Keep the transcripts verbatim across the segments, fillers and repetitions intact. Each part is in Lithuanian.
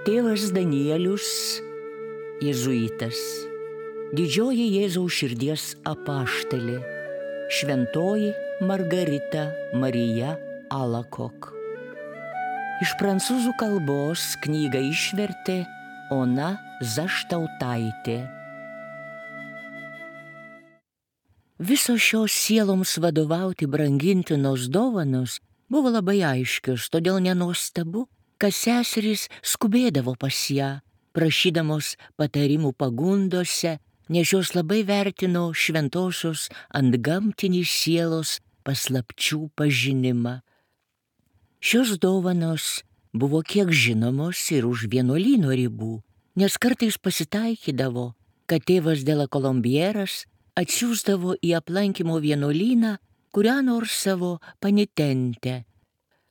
Tėvas Danielius, jėzuitas, didžioji Jėzaus širdies apaštalė, šventoji Margarita Marija Alacoque. Iš prancūzų kalbos knygą išvertė Ona Zaštautaitė. Visos šios sieloms vadovauti brangintinos dovanos buvo labai aiškios, todėl nenuostabu, kad seserys skubėdavo pas ją, prašydamos patarimų pagundose, nes jos labai vertino šventosios antgamtinį sielos paslapčių pažinimą. Šios dovanos buvo kiek žinomos ir už vienuolyno ribų, nes kartais pasitaikydavo, kad tėvas de la Colombieras atsiųsdavo į aplankymo vienuolyną kurią nors savo panitentę,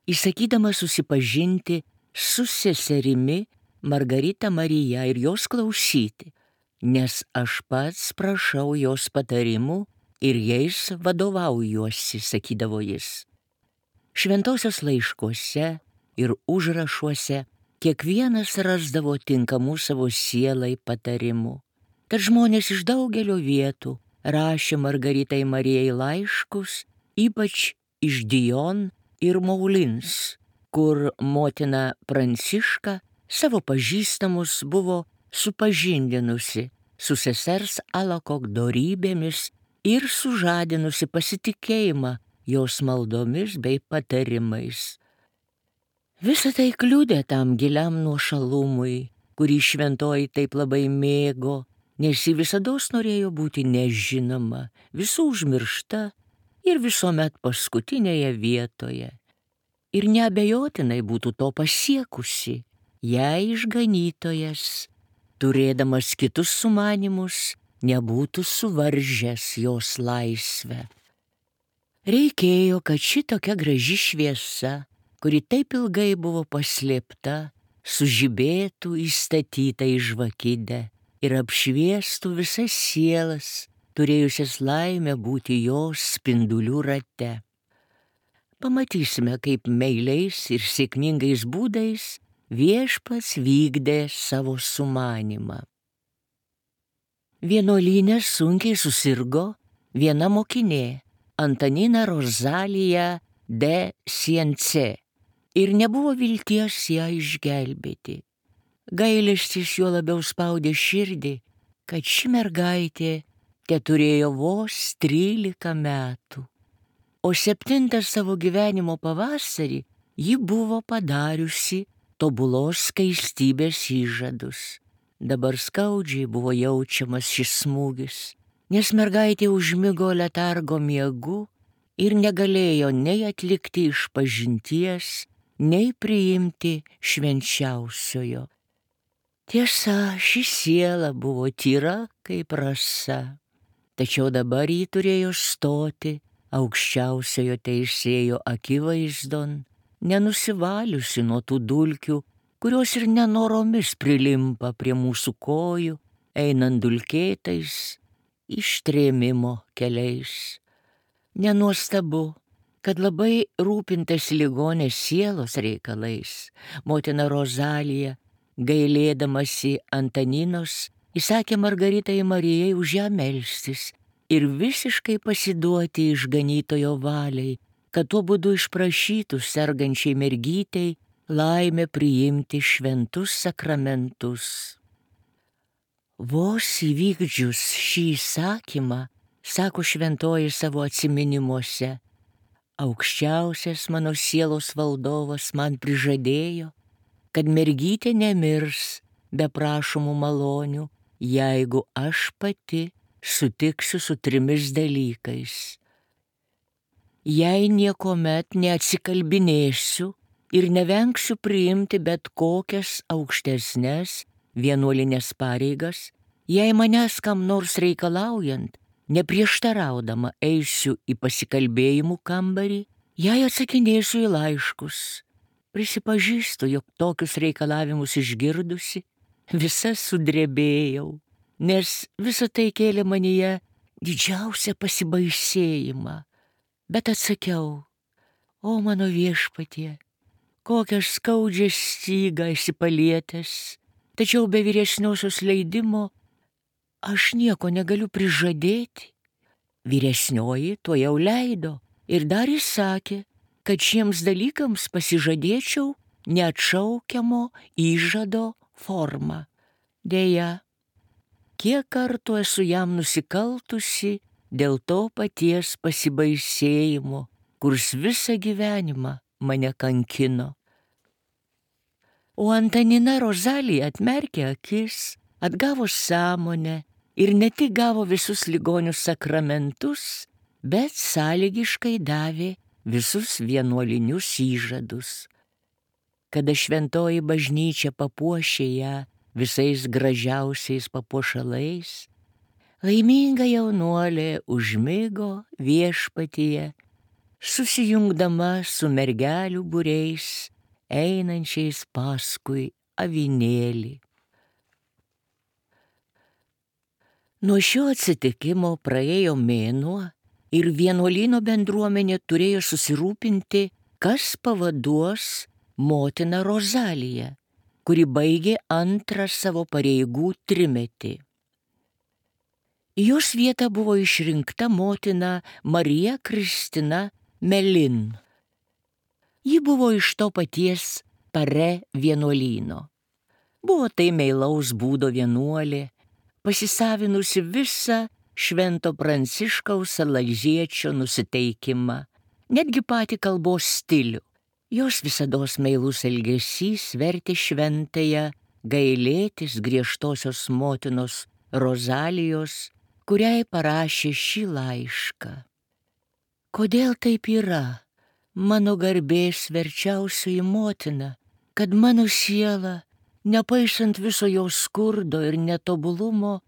įsakydamas susipažinti su seserimi Margarita Marija ir jos klausyti, nes aš pats prašau jos patarimų ir jais vadovaujuosi, sakydavo jis. Šventosios laiškuose ir užrašuose kiekvienas rasdavo tinkamų savo sielai patarimų. Tad žmonės iš daugelio vietų rašė Margaritai Marijai laiškus, ypač iš Dijon ir Moulins, kur motina Pranciška savo pažįstamus buvo supažindinusi su sesers Alacoque dorybėmis ir sužadinusi pasitikėjimą jos maldomis bei patarimais. Visa tai kliudė tam giliam nuošalumui, kurį šventoji taip labai mėgo, nes ji visados norėjo būti nežinoma, visų užmiršta ir visuomet paskutinėje vietoje. Ir neabejotinai būtų to pasiekusi, jei išganytojas, turėdamas kitus sumanymus, nebūtų suvaržęs jos laisvę. Reikėjo, kad šitokia graži šviesa, kuri taip ilgai buvo paslėpta, sužibėtų įstatyta į žvakidę ir apšviestų visas sielas, turėjusias laimę būti jos spindulių rate. Pamatysime, kaip meiliais ir sėkmingais būdais viešpats vykdė savo sumanymą. Vienuolyne sunkiai susirgo viena mokinė, Antanina Rozalija de Sience, ir nebuvo vilties ją išgelbėti. Gailestis juo labiau spaudė širdį, kad ši mergaitė teturėjo vos trylika metų. O septintą savo gyvenimo pavasarį ji buvo padariusi tobulos skaistybės įžadus. Dabar skaudžiai buvo jaučiamas šis smūgis, nes mergaitė užmigo letargo miegu ir negalėjo nei atlikti išpažinties, nei priimti švenčiausiojo. Tiesa, ši siela buvo tyra kaip rasa, tačiau dabar ji turėjo stoti aukščiausiojo teisėjo akivaizdon, nenusivaliusi nuo tų dulkių, kurios ir nenoromis prilimpa prie mūsų kojų, einant dulkėtais ištrėmimo keliais. Nenuostabu, kad labai rūpintas ligonės sielos reikalais, motina Rozalija, gailėdamasi Antaninos, įsakė Margaritai Marijai už ją melstis ir visiškai pasiduoti išganytojo valiai, kad tuo būdu išprašytų sergančiai mergytei laimę priimti šventus sakramentus. Vos įvykdžius šį įsakymą, sako šventoji savo atsiminimuose, aukščiausias mano sielos valdovas man prižadėjo, kad mergytė nemirs be prašomų malonių, jeigu aš pati sutiksiu su trimis dalykais. Jei niekomet neatsikalbinėsiu ir nevengsiu priimti bet kokias aukštesnes vienuolinės pareigas, jei manęs kam nors reikalaujant, neprieštaraudama eisiu į pasikalbėjimų kambarį, jei atsakinėsiu į laiškus. Prisipažįstu, jog tokius reikalavimus išgirdusi, visa sudrebėjau, nes visa tai kėlė manyje didžiausią pasibaisėjimą. Bet atsakiau, o mano viešpatie, kokią skaudžią stygą esi palietęs, tačiau be vyresniosios leidimo aš nieko negaliu prižadėti. Vyresnioji to jau leido ir dar įsakė, kad šiems dalykams pasižadėčiau neatšaukiamo įžado formą. Deja, kiek kartų esu jam nusikaltusi dėl to paties pasibaisėjimo, kurs visą gyvenimą mane kankino. O Antanina Rozalija atmerkė akis, atgavo sąmonę ir ne tik gavo visus ligonių sakramentus, bet sąlygiškai davė visus vienuolinius įžadus. Kada šventoji bažnyčia papuošė ją visais gražiausiais papuošalais, laiminga jaunuolė užmigo viešpatyje, susijungdama su mergelių būriais, einančiais paskui avinėlį. Nuo šio atsitikimo praėjo mėnuo ir vienuolyno bendruomenė turėjo susirūpinti, kas pavaduos motiną Rozaliją, kuri baigė antrą savo pareigų trimetį. Į jos vietą buvo išrinkta motina Marija Kristina Melin. Ji buvo iš to paties Pare vienuolyno. Buvo tai meilaus būdo vienuolė, pasisavinusi visą švento Pranciškaus Salaziečių nusiteikimą, netgi patį kalbos stilių. Jos visados meilus elgesys vertė šventąją gailėtis griežtosios motinos Rozalijos, kuriai parašė šį laišką. Kodėl taip yra, mano garbės verčiausioji motina, kad mano siela, nepaisant viso jo skurdo ir netobulumo,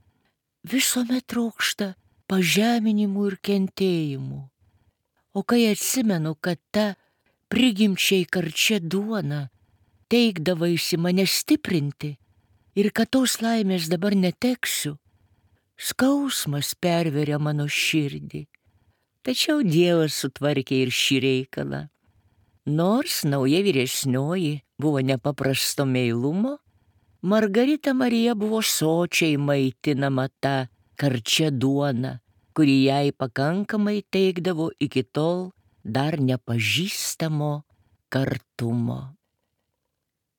visuomet trokšta pažeminimų ir kentėjimų. O kai atsimenu, kad ta prigimčiai karčia duona teikdavaisi mane stiprinti ir kad tos laimės dabar neteksiu, skausmas perveria mano širdį. Tačiau Dievas sutvarkė ir šį reikalą. Nors nauja vyresnioji buvo nepaprasto meilumo, Margarita Marija buvo sočiai maitinama tą karčia duona, kuri jai pakankamai teikdavo iki tol dar nepažįstamo kartumo.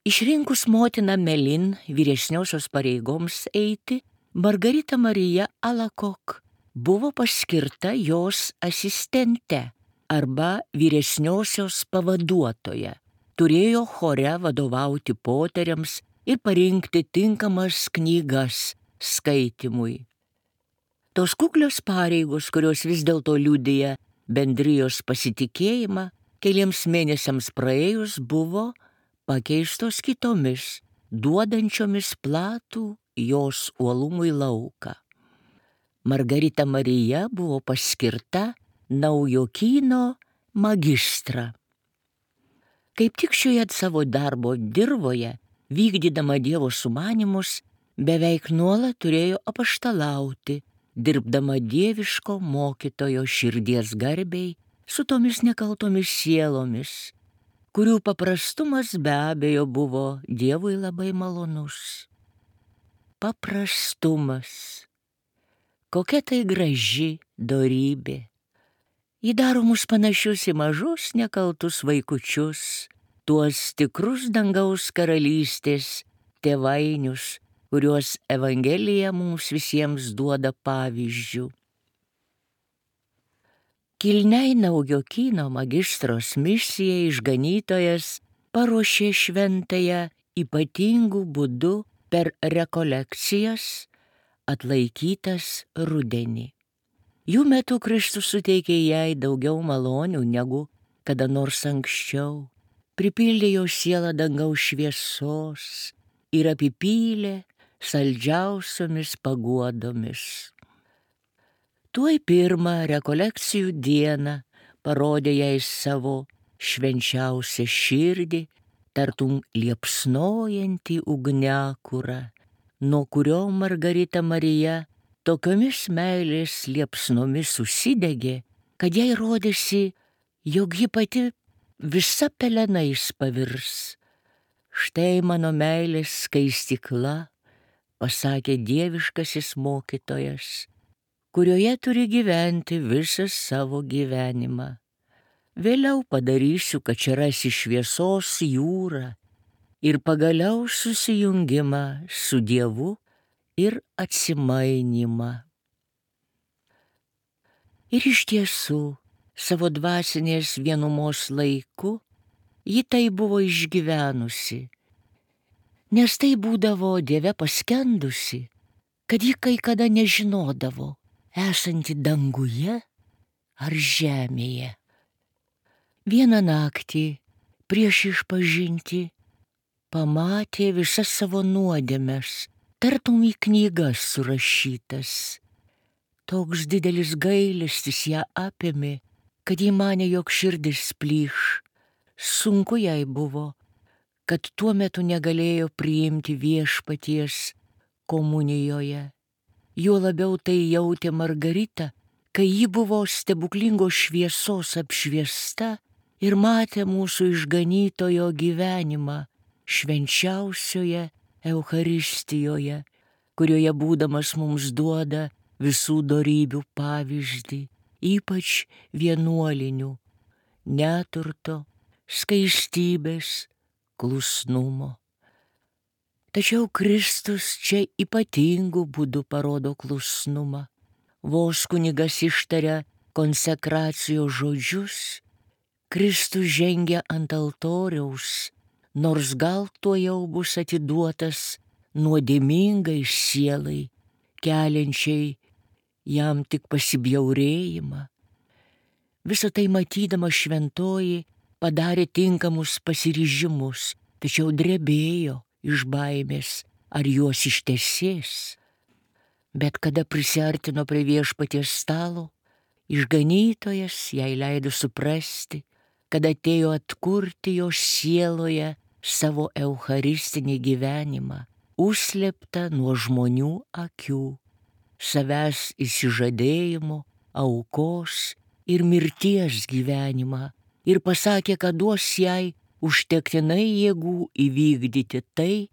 Išrinkus motiną Melin vyresniosios pareigoms eiti, Margarita Marija Alakok buvo paskirta jos asistente arba vyresniosios pavaduotoja. Turėjo chore vadovauti poteriams ir parinkti tinkamas knygas skaitymui. Tos kuklios pareigos, kurios vis dėlto liudija bendrijos pasitikėjimą, keliems mėnesiams praėjus buvo pakeistos kitomis, duodančiomis platų jos uolumui lauką. Margarita Marija buvo paskirta naujokyno magistra. Kaip tik šioje savo darbo dirvoje, vykdydama Dievo sumanymus, beveik nuolat turėjo apaštalauti, dirbdama dieviško mokytojo širdies garbei su tomis nekaltomis sielomis, kurių paprastumas be abejo buvo Dievui labai malonus. Paprastumas. Kokia tai graži dorybė. Ji daro mus panašius į mažus nekaltus vaikučius, tuos tikrus dangaus karalystės tėvainius, kuriuos Evangelija mums visiems duoda pavyzdžių. Kilniai naujokyno magistros misijai išganytojas paruošė šventąją ypatingų būdų per rekolekcijas atlaikytas rudenį. Jų metu Kristus suteikė jai daugiau malonių negu kada nors anksčiau, pripildė jo sielą dangaus šviesos ir apipylė saldžiausiomis paguodomis. Tuoj pirmą rekolekcijų dieną parodė jai savo švenčiausią širdį, tartum liepsnojantį ugniakurą, nuo kurio Margarita Marija tokiomis meilės liepsnomis užsidegė, kad jai rodėsi, jog ji pati visa pelenais pavirs. Štai mano meilės skaistykla, pasakė dieviškasis mokytojas, kurioje turi gyventi visą savo gyvenimą. Vėliau padarysiu, kad čia rasi šviesos jūrą ir pagaliau susijungimą su Dievu ir atsimainimą. Ir iš tiesų, savo dvasinės vienumos laiku, ji tai buvo išgyvenusi, nes tai būdavo Dieve paskendusi, kad ji kai kada nežinodavo, esanti danguje ar žemėje. Vieną naktį prieš išpažinti pamatė visas savo nuodėmes, tartum į knygas surašytas. Toks didelis gailestis ją apėmė, kad ji manė, jog širdis plyš. Sunku jai buvo, kad tuo metu negalėjo priimti viešpaties komunijoje. Juo labiau tai jautė Margarita, kai ji buvo stebuklingos šviesos apšviesta ir matė mūsų išganytojo gyvenimą švenčiausioje Eucharistijoje, kurioje būdamas mums duoda visų dorybių pavyzdį, ypač vienuolinių, neturto, skaistybės, klusnumo. Tačiau Kristus čia ypatingų būdų parodo klusnumą. Vos kunigas ištaria konsekracijos žodžius, Kristus žengia ant altoriaus, nors gal tuojau bus atiduotas nuodėmingai sielai, keliančiai jam tik pasibjaurėjimą. Visą tai matydama šventoji padarė tinkamus pasiryžimus, tačiau drebėjo iš baimės, ar juos ištesės. Bet kada prisiartino prie viešpaties stalo, išganytojas jai leido suprasti, kad atėjo atkurti jo sieloje savo eucharistinį gyvenimą, užslėptą nuo žmonių akių, savęs įsižadėjimo, aukos ir mirties gyvenimą, ir pasakė, kad duos jai užtektinai jėgų įvykdyti tai,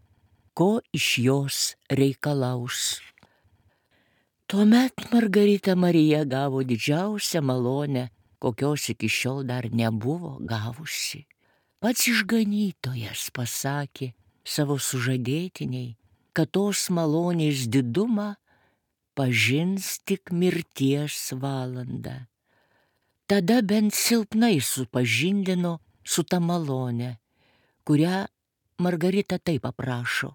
ko iš jos reikalaus. Tuomet Margarita Marija gavo didžiausią malonę, kokios iki šiol dar nebuvo gavusi. Pats išganytojas pasakė savo sužadėtiniai, kad tos malonės didumą pažins tik mirties valandą. Tada bent silpnai supažindino su ta malone, kurią Margarita taip aprašo.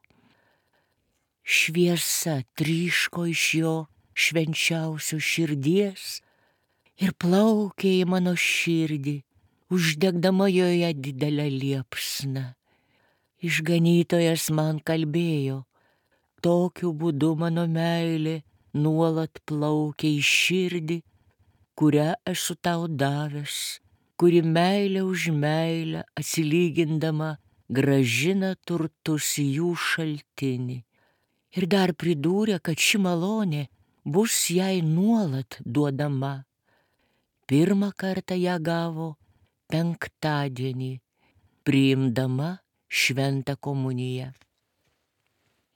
Šviesa tryško iš jo švenčiausios širdies ir plaukė į mano širdį, uždegdama joje didelę liepsną. Išganytojas man kalbėjo, tokiu būdu mano meilė nuolat plaukia į širdį, kurią esu tau davęs, kuri meilė už meilę atsilygindama grąžina turtus į jų šaltinį. Ir dar pridūrė, kad ši malonė bus jai nuolat duodama. Pirmą kartą ją gavo penktadienį, priimdama šventą komuniją.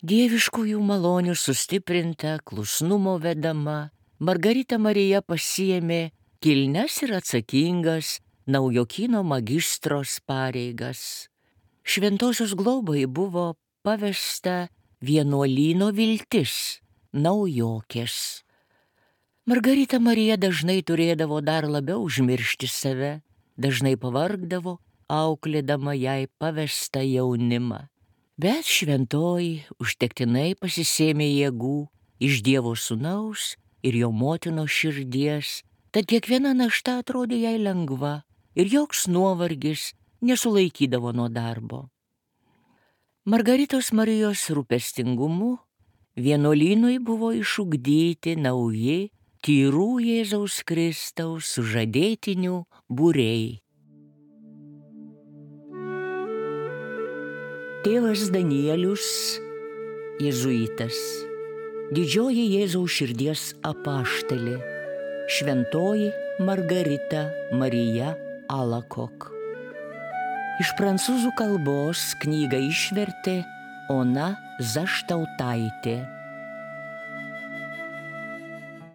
Dieviškųjų malonių sustiprinta, klusnumo vedama, Margarita Marija pasiėmė kilnias ir atsakingas naujokyno magistros pareigas. Šventosios globai buvo pavesta vienuolyno viltis, naujokės. Margarita Marija dažnai turėdavo dar labiau užmiršti save, dažnai pavargdavo, auklėdama jai pavestą jaunimą. Bet šventoji užtektinai pasisėmė jėgų iš Dievo sūnaus ir jo motinos širdies, tad kiekviena našta atrodė jai lengva ir joks nuovargis nesulaikydavo nuo darbo. Margaritos Marijos rūpestingumu vienuolynui buvo išugdyti nauji tyrų Jėzaus Kristaus sužadėtinių būriai. Tėvas Danielius, jėzuitas, didžioji Jėzaus širdies apaštalė, šventoji Margarita Marija Alakok. Iš prancūzų kalbos knygą išvertė Ona Zaštautaitė.